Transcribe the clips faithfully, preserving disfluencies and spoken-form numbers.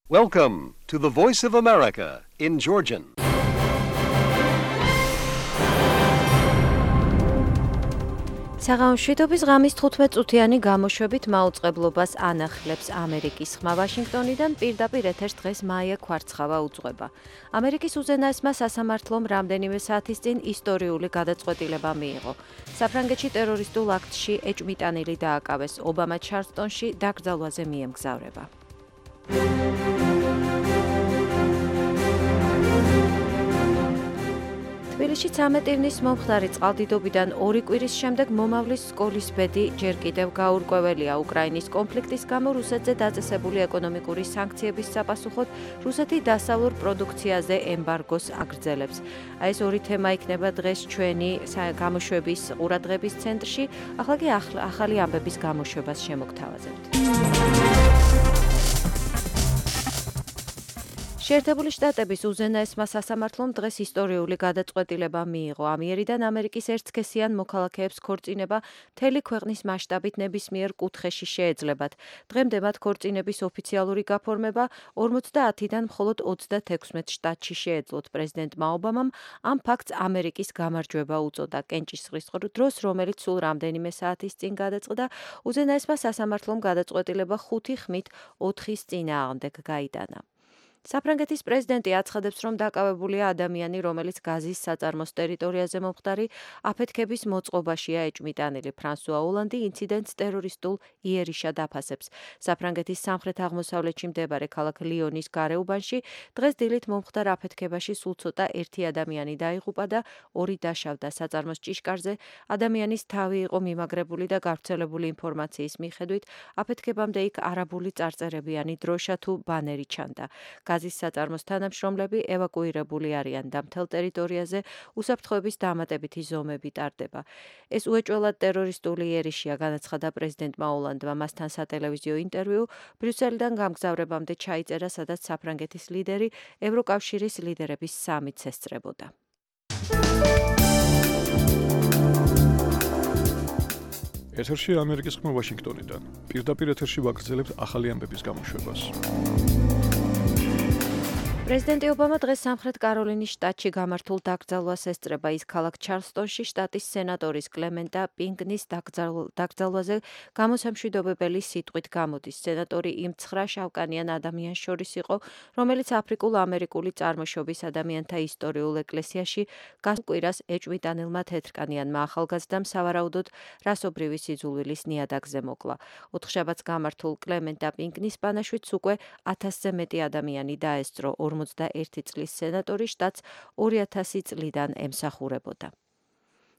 Welcome to the Voice of America in Georgian. საღამოშვიდობის ღამის თხუთმეტ-წუთიანი გამოშვებით მაუწყებლობას ანახლებს ამერიკის ხმა ვაშინგტონიდან პირდაპირ ეთერს დღეს მაია ქვარცხავა უძღვება. ამერიკის უზენაესმა სასამართლომ რამდენიმე საათის წინ ისტორიული გადაწყვეტილება მიიღო. საფრანგეთში ტერორისტულ აქტში ეჭვმიტანილი დააკავეს, ობამა ჩარლსტონში დაკრძალვაზე მიემგზავრება. თბილისში ცამეტ ივნის მომხდარი წყალდიდობიდან ორი კვირის შემდეგ მომავლის სკოლის ბედი ჯერ კიდევ გაურკვეველია. უკრაინის კონფლიქტის გამო რუსეთზე დაწესებული ეკონომიკური სანქციების sapasუხოდ რუსეთი დასავლურ პროდუქციაზე ემბარგოს აგრძელებს. აი ეს ორი თემა იქნება დღეს ჩვენი გამოშვების ყურადღების ცენტრში. ახლა კი ახალი ამბების გამოშვებას შემოგთავაზებთ. შეერთებული შტატების უზენაესმა სასამართლომ დღეს ისტორიული გადაწყვეტილება მიიღო. ამ იერიდან ამერიკის ერთსქესიან მოქალაქეებს ქორწინება მთელი ქვეყნის მასშტაბით ნებისმიერ კუთხეში შეეძლებათ. დღემდე მათ ქორწინების ოფიციალური გაფორმება ორმოცდაათიდან მხოლოდ ოცდათექვსმეტ შტატში შეეძლოთ. პრეზიდენტმა ობამამ ამ ფაქტს ამერიკის გამარჯვება უწოდა. კენჭისყრის დროს, რომელიც სულ რამდენიმე საათის წინ გადაწყდა, უზენაესმა სასამართლომ გადაწყვეტილება ხუთი ხმით ოთხის წინააღმდეგ გაიტანა. საფრანგეთის პრეზიდენტი აცხადებს, რომ დაკავებულია ადამიანი, რომელიც გაზის საწარმოს ტერიტორიაზე მომხდარი აფეთქების მოწყობაშია ეჭვმიტანილი. ფრანსუა ოლანდი ინციდენტს ტერორისტულ იერიშად აფასებს. საფრანგეთის სამხრეთ-აღმოსავლეთში მდებარე ქალაქ ლიონის გარეუბანში დღეს დილით მომხდარ აფეთქებაში სულ ცოტა ერთი ადამიანი დაიღუპა და ორი დაშავდა. საწარმოს ჭიშკარზე ადამიანის თავი იყო მიმაგრებული და გავრცელებული ინფორმაციის მიხედვით აფეთქებამდე იქ არაბული წარწერებიანი დროშა თუ ბანერი ჩანდა. გაზის საწარმოს თანამშრომლები ევაკუირებული არიან და მთელ ტერიტორიაზე უსაფრთხოების დამატებითი ზომები ტარდება. ეს უეჭველად ტერორისტული იერიშია, განაცხადა პრეზიდენტმა ოლანდმა. მასთან სატელევიზიო ინტერვიუ ბრიუსელიდან გამგზავრებამდე ჩაიწერა, სადაც საფრანგეთის ლიდერი ევროკავშირის ლიდერების სამიტს ესწრებოდა. ეთერში ამერიკის ხმა ვაშინგტონიდან. პირდაპირ ეთერში ვაგრძელებთ ახალი ამბების გამოშვებას. პრეზიდენტი ობამა დღეს სამხრეთ კაროლინის შტატში გამართულ დაკრძალვას ესწრება. ის ქალაქ ჩარლსტონში შტატის სენატორის კლემენტა პინკნის დაკრძალვაზე გამოსამშვიდობებელი სიტყვით გამოდის. სენატორი იმ ცხრა შავკანიან ადამიანს შორის იყო, რომელიც აფრიკულ-ამერიკული წარმოშობის ადამიანთა ისტორიულ ეკლესიაში გასულ კვირას ეჭვმიტანილმა თეთრკანიანმა ახალგაზრდამ სავარაუდოდ რასობრივი სიძულვილის ნიადაგზე მოკლა. ოთხშაბათს გამართულ კლემენტა პინკნის ბანაშვიდს უკვე ათასზე მეტი ადამიანი დაესწრო. ორმოცდაერთი წლის სენატორი შტატს ორი ათასი წლიდან ემსახურებოდა.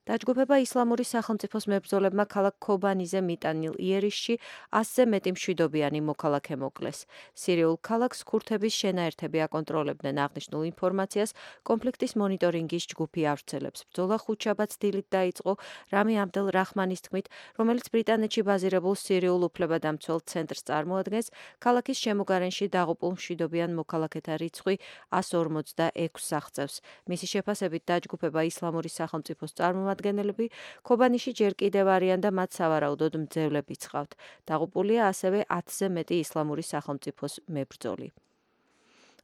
დაჯგუფება ისლამური სახელმწიფოს მებრძოლებმა ქალაქ ქობანიზე მიტანილ იერიშში ასზე მეტი მშვიდობიანი მოქალაქე მოკლეს. სირიულ ქალაქს ქურთების შენაერთები აკონტროლებდნენ. აღნიშნულ ინფორმაციას კონფლიქტის მონიტორინგის ჯგუფი ავრცელებს. ბრძოლა ხუთშაბათს დილით დაიწყო რამი აბდელ რაჰმანის თქმით, რომელიც ბრიტანეთში ბაზირებულ სირიულ უფლებადამცველ ცენტრს წარმოადგენს. ქალაქის შემოგარენში დაღუპულ მშვიდობიან მოქალაქეთა რიცხვი ასს ორმოცდაექვსს აღწევს. მისი შეფასებით დაჯგუფება ისლამური სახელმწიფოს წარმომადგენლები ქობანიში ჯერ კიდევ არიან და მათ სავარაუდოდ მძევლები ცხავთ. დაღუპულია ასევე ათზე მეტი ისლამური სახელმწიფოს მებრძოლი.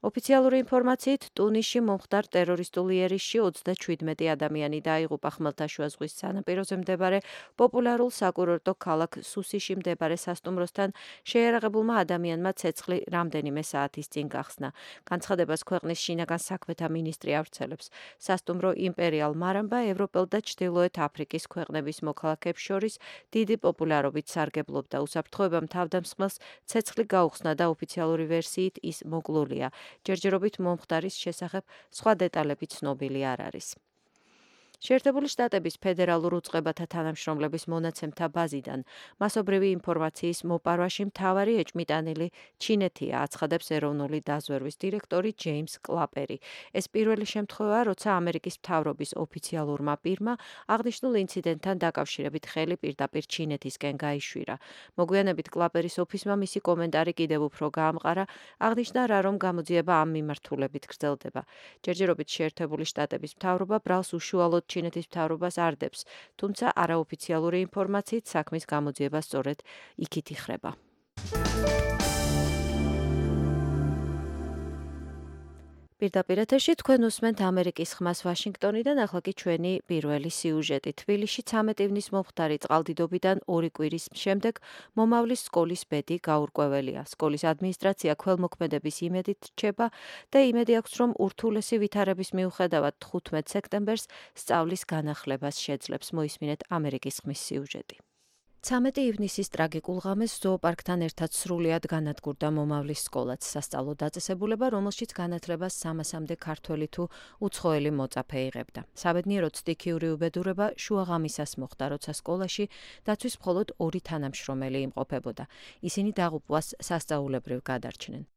ოფიციალური ინფორმაციით, ტუნისში მომხდარ ტერორისტულ იერიშში ოცდაჩვიდმეტი ადამიანი დაიღუპა. ხმელთაშუა ზღვის სანაპიროზე მდებარე პოპულარულ საკურორტო ქალაქ სუსიში მდებარე სასტუმროსთან შეიარაღებულმა ადამიანმა ცეცხლი რამდენიმე საათის წინ გახსნა. განცხადებას ქვეყნის შინაგან საქმეთა მინისტრი ავრცელებს. სასტუმრო იმპერიალ მარამბა ევროპელ და ჩრდილოეთ აფრიკის ქვეყნების მოქალაქეებს შორის დიდი პოპულარობით სარგებლობდა. უსაფრთხოებამ თავდამსხმელს ცეცხლი გაუხსნა და ოფიციალური ვერსიით ის მოკლულია. ჯერჯერობით მომხდარის შესახებ სხვა დეტალები ცნობილი არ არის. შეერთებული შტატების ფედერალურ უწყებათა თანამშრომლების მონაცემთა ბაზიდან მასობრივი ინფორმაციის მოპარვაში მთავარი ეჭვმიტანილი ჩინეთია, აცხადებს ეროვნული დაზვერვის დირექტორი ჯეიმს კლაპერი. ეს პირველი შემთხვევაა, როცა ამერიკის მთავრობის ოფიციალურმა პირმა აღნიშნულ ინციდენტთან დაკავშირებით ხელი პირდაპირ ჩინეთისკენ გაიშვირა. მოგვიანებით კლაპერის ოფისმა მისი კომენტარი კიდევ უფრო გაამყარა, აღნიშნა რა რომ გამოძიება ამ მიმართულებით გრძელდება. ჯერჯერობით შეერთებული შტატების მთავრობა ბრალს უშუალოდ ჩინეთის მთავრობას არდებს, თუმცა არაოფიციალური ინფორმაციით საქმის გამოძიება სწორედ იქით იხრება. პირდაპირ ეთერში თქვენ უსმენთ ამერიკის ხმას ვაშინგტონიდან, ახლა კი ჩვენი პირველი სიუჟეტი. თბილისში ცამეტი ივნის მომხდარი წყალდიდობიდან ორი კვირის შემდეგ მომავლის სკოლის ბედი გაურკვეველია. სკოლის ადმინისტრაცია ქველმოქმედების იმედით რჩება და იმედი აქვს, რომ ურთულესი ვითარების მიუხედავად თხუთმეტ სექტემბერს სწავლის განახლებას შეძლებს. მოისმინეთ ამერიკის ხმის სიუჟეტი. ცამეტი ივნისის ტრაგიკულ ღამეს ზოოპარკთან ერთად სრულიად განადგურდა მომავლის სკოლაც, სასწავლო დაწესებულება, რომელშიც განათლებას სამასამდე ქართველი თუ უცხოელი მოწაფე იღებდა. საბედნიეროდ სტიქიური უბედურება შუაღამისას მოხდა, როცა სკოლაში დაცვის მხოლოდ ორი თანამშრომელი იმყოფებოდა. ისინი დაღუპვას სასწაულებრივ გადარჩნენ.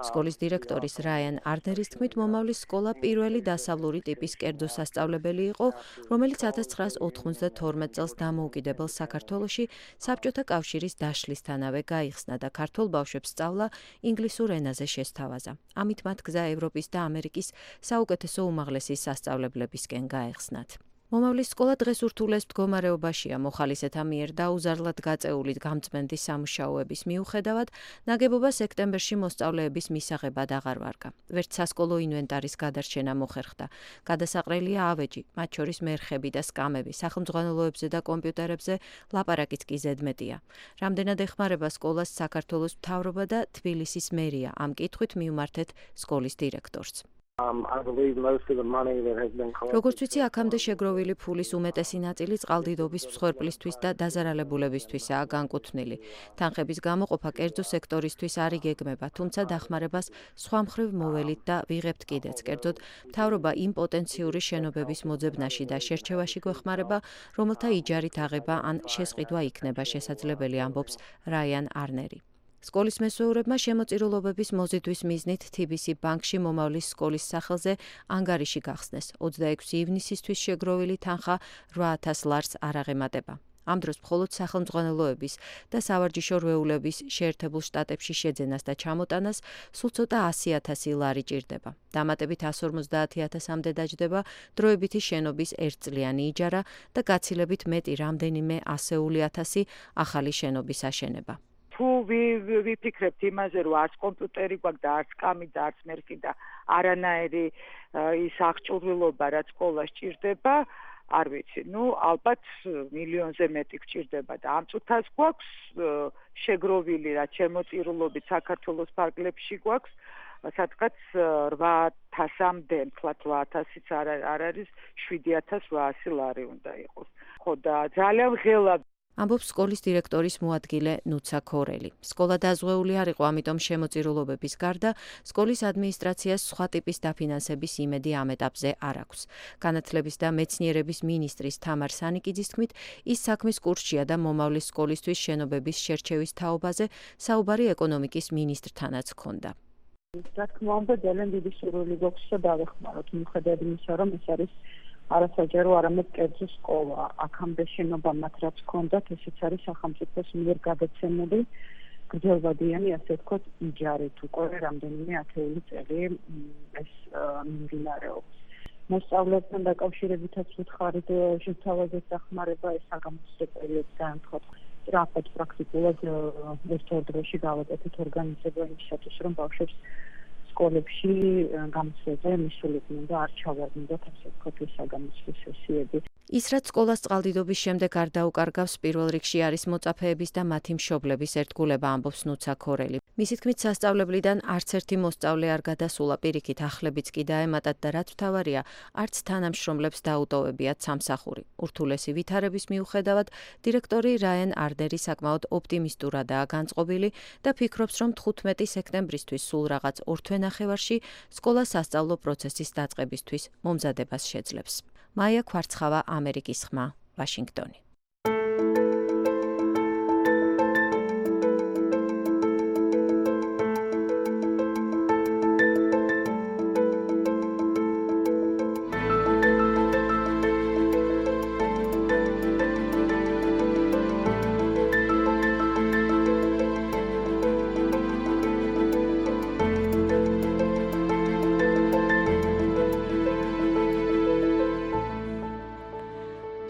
სკოლის დირექტორის რაიან არნერის თქმით, მომავლის სკოლა პირველი დასავლური ტიპის კერძო სასწავლებელი იყო, რომელიც ათას ცხრაას ოთხმოცდათორმეტ წელს დამოუკიდებელ საქართველოში საბჭოთა კავშირის დაშლისთანავე გაიხსნა და ქართველ ბავშვებს სწავლა ინგლისურ ენაზე შესთავაზა. ამით მათ გზა ევროპის და ამერიკის საუკეთესო უმაღლესი სასწავლებლებისკენ გაეხსნათ. მომავლის სკოლა დღეს ურთულეს მდგომარეობაშია, მოხალისეთა მიერ დაუზარლად გაწეული გამწმენდის სამუშაოების მიუხედავად, ნაგებობა სექტემბერში მოსწავლეების მისაღებად აღარ ვარგა. ვერც სასკოლო ინვენტარის გადარჩენა მოხერხდა. გადასაყრელია ავეჯი, მათ შორის მერხები და სკამები, სახელმძღვანელოებზე და კომპიუტერებზე ლაპარაკიც კი ზედმეტია. რამდენად ეხმარება სკოლას საქართველოს მთავრობა და თბილისის მერია, ამ კითხვით მივმართეთ სკოლის დირექტორს. როგორც ვიცი, აქამდე შეგროვილი ფულის უმეტესი ნაწილი წყალდიდობის მსხვერპლისთვის და დაზარალებულებისთვისაა განკუთვნილი. თანხების გამოყოფა კერძო სექტორისთვის არ იგეგმება, თუმცა დახმარებას სხვა მხრივ მოველით და ვიღებთ კიდეც. კერძოდ, მთავრობა იმ პოტენციური შენობების მოძებნაში და შერჩევაში გვეხმარება, რომელთა იჯარით აღება ან შესყიდვა იქნება შესაძლებელი, ამბობს რაიან არნერი. სკოლის მესვეურებმა შემოწირულობების მოზიდვის მიზნით თი ბი სი ბანკში მომავლის სკოლის სახელზე ანგარიში გახსნეს. ოცდაექვსი ივნისისთვის შეგროვილი თანხა რვა ათას ლარს არ აღემატება. ამ დროს მხოლოდ სახელმძღვანელოების და სავარჯიშო რვეულების შეერთებულ შტატებში შეძენას და ჩამოტანას სულ ცოტა ასი ათასი ლარი ჭირდება. დამატებით ასი ორმოცდაათი ათასამდე დაჯდება დროებითი შენობის ერთწლიანი იჯარა და გაცილებით მეტი რამდენიმე ასეული ათასი ახალი შენობის აშენება. თუ ვიფიქრებთ იმაზე, რომ არც კომპიუტერი გვაქვს და არც სკამი და არც მერხი და არანაირი ის აღჭურვილობა, რაც სკოლას ჭირდება, არ ვიცი, ნუ ალბათ მილიონზე მეტი გჭირდება და ამ წუთას გვაქვს შეგროვილი, რაც შემოწირულობით საქართველოს ფარგლებში გვაქვს, სადღაც რვა ათასამდე, თქვათ რვა ათასიც არ არის, შვიდი ათას რვაასი ლარი უნდა იყოს. ხო და ძალიან ღელა ამბობს სკოლის დირექტორის მოადგილე ნუცა ქორელი. სკოლა დაზღვეული არ იყო, ამიტომ შემოწირულობების გარდა სკოლის ადმინისტრაციას სხვა ტიპის დაფინანსების იმედი ამ ეტაპზე არ აქვს. განათლების და მეცნიერების მინისტრის თამარ სანიკიძის თქმით, ის საქმის კურსშია და მომავლის სკოლისთვის შენობების შერჩევის თაობაზე საუბარი ეკონომიკის მინისტრთანაც ჰქონდა. რა თქმა უნდა, ძალიან დიდი სურვილი გვაქვს და დავეხმაროთ, მიუხედავად იმისა, რომ ეს არის არასაჯარო, არამედ კერძო სკოლა. აქამდე შენობა მათ რაც ჰქონდათ, ესეც არის სახელმწიფოს მიერ გადაცემული გრძელვადიანი, ასე ვთქვათ, იჯარით უკვე რამდენიმე ათეული წელი ეს მიმდინარეობს. მოსწავლეებთან დაკავშირებითაც ვუთხარით შეთავაზეთ დახმარება, ეს საგამოცდო პერიოდიდან თქვათ სწრაფად პრაქტიკულად ერთ ორ დროში გავაკეთეთ ორგანიზება იმისათვის, რომ ბავშვებს სკოლებში გამოცდაზე მისულიყვნენ და არ ჩავარდნათ ასე ვთქვათ ეს საგამოცდო სესიები. ის რაც სკოლას წყალდიდობის შემდეგ არ დაუკარგავს, პირველ რიგში არის მოწაფეების და მათი მშობლების ერთგულება, ამბობს ნუცა ქორელი. მისი თქმით, სასწავლებლიდან არც ერთი მოსწავლე არ გადასულა, პირიქით ახლებიც კი დაემატათ და რაც მთავარია, არც თანამშრომლებს დაუტოვებიათ სამსახური. ურთულესი ვითარების მიუხედავად, დირექტორი რაიან არნერი საკმაოდ ოპტიმისტურადაა განწყობილი და ფიქრობს, რომ თხუთმეტი სექტემბრისთვის სულ რაღაც ორ თვენახევარში სკოლა სასწავლო პროცესის დაწყებისთვის მომზადებას შეძლებს. მაია ქვარცხავა, ამერიკის ხმა, ვაშინგტონი.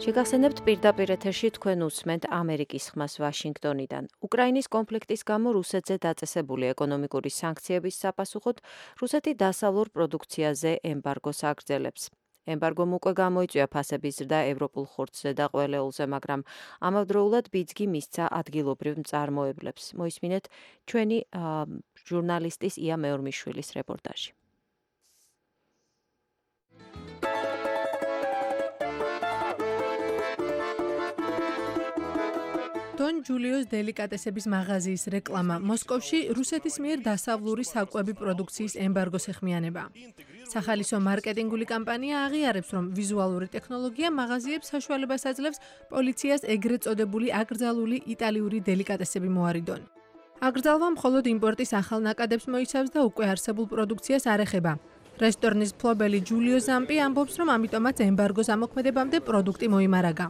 შეგახსენებთ პირდაპირ ეთერში თქვენ უსმენთ ამერიკის ხმას ვაშინგტონიდან. უკრაინის კონფლიქტის გამო რუსეთზე დაწესებული ეკონომიკური სანქციების sapasუხოდ რუსეთი დასავლურ პროდუქციაზე ემბარგოს აგრძელებს. ემბარგომ უკვე გამოიწვია ფასების ზრდა ევროპულ ხორცზე და ყველეულზე, მაგრამ ამავდროულად ბიძგი მისცა ადგილობრივ მწარმოებლებს. მოისმინეთ ჩვენი ჟურნალისტის ია მეორმიშვილის რეპორტაჟი. დონ ჯულიოს დელიკატესების მაღაზიის რეკლამა მოსკოვში რუსეთის მიერ დასავლური საკვები პროდუქციის ემბარგოს ეხმიანება. სახალისო მარკეტინგული კამპანია აღიარებს, რომ ვიზუალური ტექნოლოგია მაღაზიებს საშუალებას აძლევს პოლიციას ეგრეთ წოდებული აკრძალული იტალიური დელიკატესები მოარიდონ. აკრძალვა მხოლოდ იმპორტის ახალ ნაკადებს მოიცავს და უკვე არსებულ პროდუქციას არ ეხება. რესტორნის მფლობელი ჯულიო ზამპი ამბობს, რომ ამიტომაც ემბარგოს ამოქმედებამდე პროდუქტი მოიმარაგა.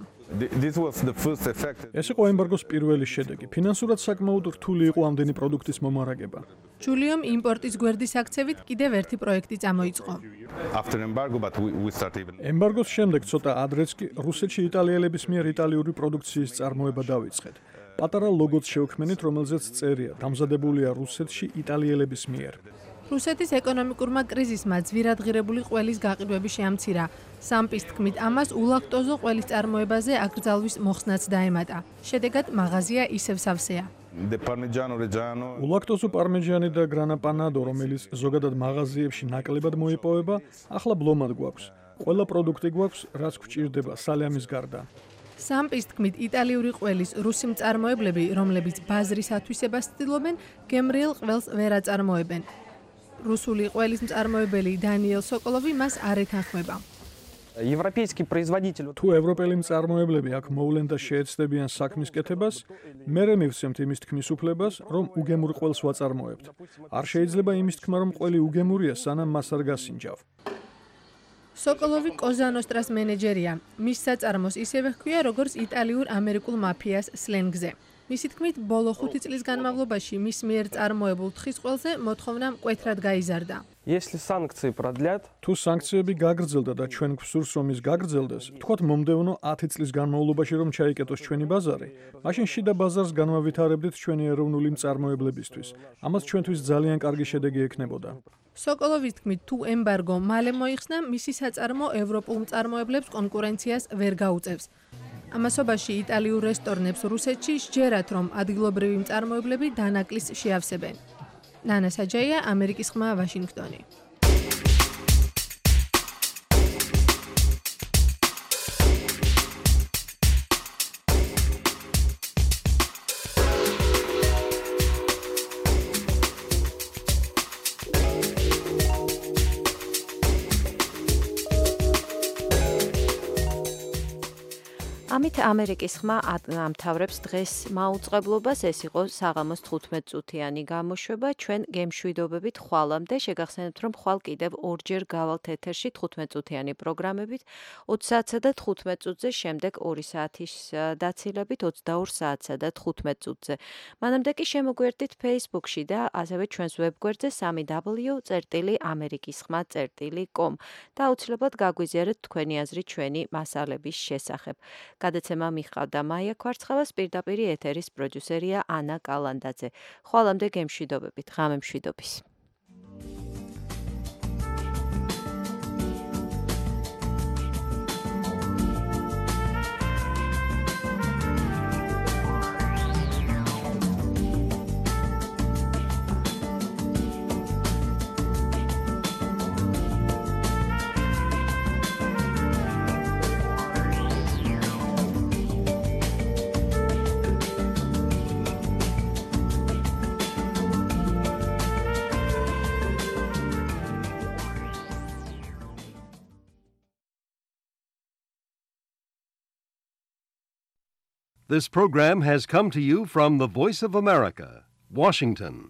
ეს იყო ემბარგოს პირველი შედეგი. ფინანსურად საკმაოდ რთული იყო ამდენი პროდუქტის მომარაგება. ჯულიომ იმპორტის გვერდის აქცევით კიდევ ერთი პროექტი წამოიწყო. ემბარგოს შემდეგ ცოტა ადრეც კი რუსეთში იტალიელების მიერ იტალიური პროდუქციის წარმოება დავიწყეთ. პატარა ლოგოც შევქმნით, რომელზეც წერია დამზადებულია რუსეთში იტალიელების მიერ. რუსეთის ეკონომიკურმა კრიზისმა ძვირადღირებული ყველის გაყიდვები შეამცირა. სამპის თქმით, ამას ულაქტოზო ყველის წარმოებაზე აკრძალვის მოხსნაც დაემატა. შედეგად მაღაზია ისევ სავსეა. ულაქტოზო პარმეჯანი და გრანა პანადო, რომელიც ზოგადად მაღაზიებში ნაკლებად მოიპოვება, ახლა ბლომად გვაქვს. ყველა პროდუქტი გვაქვს, რაც გვჭირდება სალამის გარდა. სამპის თქმით, იტალიური ყველის რუსი მწარმოებლები, რომლებიც ბაზრის ათვისებას ცდილობენ, გემრიელ ყველს ვერ აწარმოებენ. რუსული ყველის მწარმოებელი დანიელ სოკოლოვი მას არ ეთანხმება. თუ ევროპელი მწარმოებლები აქ მოვლენ და შეეცდებიან საქმის კეთებას, მერე მივცემთ იმის თქმის უფლებას, რომ უგემურ ყველს ვაწარმოებთ. არ შეიძლება იმის თქმა, რომ ყველი უგემურია, სანამ მას არ გასინჯავ. სოკოლოვი კოზანოსტრას მენეჯერია. მის საწარმოს ისევე ჰქვია, როგორც იტალიურ-ამერიკულ მაფიას სლენგზე. მისი თქმით, ბოლო ხუთი წლის განმავლობაში მის მიერ წარმოებულ თხის ყველზე მოთხოვნა მკვეთრად გაიზარდა. თუ სანქციები გაგრძელდა და ჩვენ გვსურს, რომ ის გაგრძელდეს, თქვათ მომდევნო ათი წლის განმავლობაში რომ ჩაიკეტოს ჩვენი ბაზარი, მაშინ შიდა ბაზარს განვავითარებდით ჩვენი ეროვნული მწარმოებლებისთვის. ამას ჩვენთვის ძალიან კარგი შედეგი ექნებოდა. სოკოლოვის თქმით, თუ ემბარგო მალე მოიხსნა, მისი საწარმო ევროპულ მწარმოებლებს კონკურენციას ვერ გაუწევს. ამასობაში იტალიურ რესტორნებს რუსეთში სჯერათ, რომ ადგილობრივი მწარმოებლები დანაკლის შეავსებენ. ნანა საჯაია, ამერიკის ხმა, ვაშინგტონი. ამით ამერიკის ხმა ამთავრებს დღეს მაუწყებლობას. ეს იყო საღამოს თხუთმეტ წუთიანი გამოშვება. ჩვენ გემშვიდობებით ხვალამდე შეგახსენებთ, რომ ხვალ კიდევ ორჯერ გავალთ ეთერში თხუთმეტ წუთიანი პროგრამებით, ოცი საათსა და თხუთმეტ წუთზე, შემდეგ ორი საათის დაცილებით ოცდაორ საათსა და თხუთმეტ წუთზე. მანამდე კი შემოგვერდით Facebook-ში და ასევე ჩვენს ვებგვერდზე სამი დაბლიუ წერტილი ამერიკის ხმა წერტილი კომ და აუცილებლად გაგვიზიარეთ თქვენი აზრი ჩვენი მასალების შესახებ. გადაცემა მიჰყავდა მაია ქვარცხავას, პირდაპირ ეთერის პროდიუსერია ანა კალანდაძე. ხვალამდე გემშვიდობებით, ღამე მშვიდობის. This program has come to you from the Voice of America, Washington.